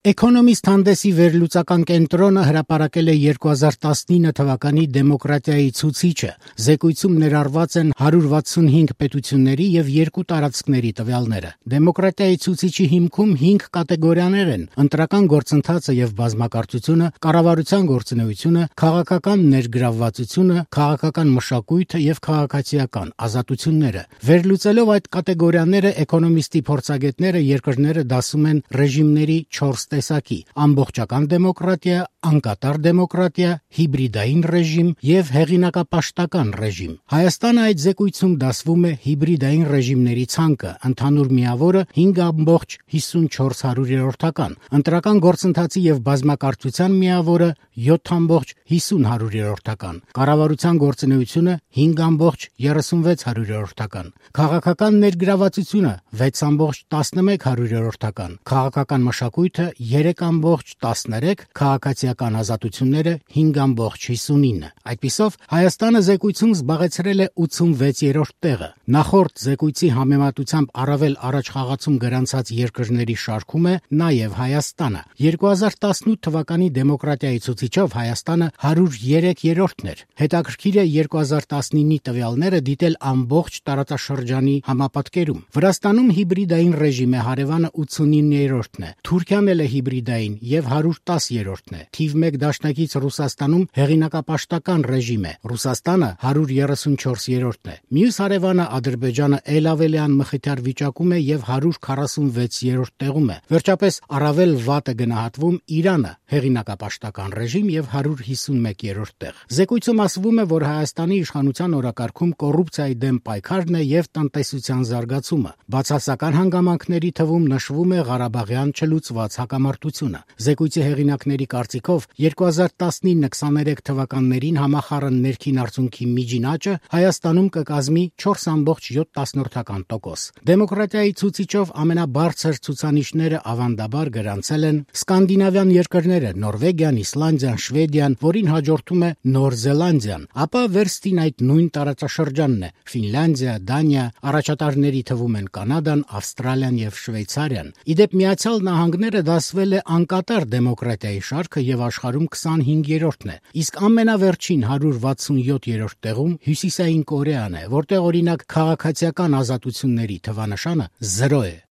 Էկոնոմիստ հանդեսի վերլուծական կենտրոնը հրապարակել է 2019 թվականի դեմոկրատիայի ցուցիչը։ Զեկույցում ներառված են 165 պետությունների եւ 2 տարածքների տվյալները։ Դեմոկրատիայի ցուցիչի հիմքում 5 կատեգորիաներ են՝ ընտրական գործընթացը եւ բազմակարծությունը, կառավարության գործունեությունը, քաղաքական ներգրավվածությունը, քաղաքական մշակույթը եւ քաղաքացիական ազատությունները։ Վերլուծելով այդ կատեգորիաները, էկոնոմիստի փորձագետները երկրները դասում են ռեժիմների 4 տեսակի՝ ամբողջական դեմոկրատիա, անկատար դեմոկրատիա, հիբրիդային ռեժիմ եւ հեղինակապաշտական ռեժիմ։ Հայաստանը այդ զեկույցում դասվում է հիբրիդային ռեժիմների ցանկը, ընդհանուր միավորը 5,54, ընտրական գործընթացի եւ բազմակարծության միավորը 7,50, կառավարության գործունեությունը 5,36, քաղաքական ներգրավվածությունը 6,11, քաղաքական մշակույթը 3,13, քաղաքացիական ազատությունները 5,59։ Այդպիսով Հայաստանը զեկույցում զբաղեցրել է 86-րդ տեղը։ Նախորդ զեկույցի համեմատությամբ առավել առաջխաղացում գրանցած երկրների շարքում է նաև Հայաստանը։ 2018 թվականի դեմոկրատիայի ցուցիչով Հայաստանը 103-րդն էր։ Հետաքրքիր է 2019-ի տվյալները դիտել ամբողջ տարածաշրջանի համապատկերում։ Վրաստանում հիբրիդային ռեժիմ է, հարևանը 89-րդն է։ Թուրքիան էլ է հիբրիդային եւ 110-րդն է։ Թիվ 1 դաշնակից Ռուսաստանում հեղինակապաշտական ռեժիմ է։ Ռուսաստանը 134-րդն է։ Մյուս հարևանը Ադրբեջանը էլ ավելյան մխիթար վիճակում է եւ 146-րդ տեղում է։ Վերջապես առավել վատ է գնահատվում Իրանը, հեղինակապաշտական ռեժիմ եւ 151-րդ տեղ։ Զեկույցում ասվում է, որ Հայաստանի իշխանության օրակարգում կոռուպցիայի դեմ պայքարն է եւ տնտեսության զարգացումը։ Բացասական հանգամանքների թվում նշվում է Ղարաբաղյան չլուծված հակամարտությունը։ Զեկույցի հեղինակների կարծիքով 2019-23 թվականներին համախառն ներքին արդյունքի միջին աճը Հայաստանում կկազմի 4,7%։ Դեմոկրատիայի ցուցիչով ամենաբարձր ցուցանիշները ավանդաբար գրանցել են սկանդինավյան երկրները՝ Նորվեգիան, Իսլանդիան, Շվեդիան, որին հաջորդում է Նոր Զելանդիան, ապա վերստին այդ նույն տարածաշրջանն է՝ Ֆինլանդիա, Դանիա, առաջատարների թվում են Կանադան, Ավստրալիան եւ Շվեյցարիան։ Իդեպ Միացյալ Նահանգները դասվել է անկատար դեմոկրատիայի շարքը եւ աշխարհում 25-րդն է, իսկ ամենավերջին 167-րդ տեղում Հյուսիսային Կորեան է, որտեղ օրինակ քաղաքացիական ազատությունների թվանշանը 0 է։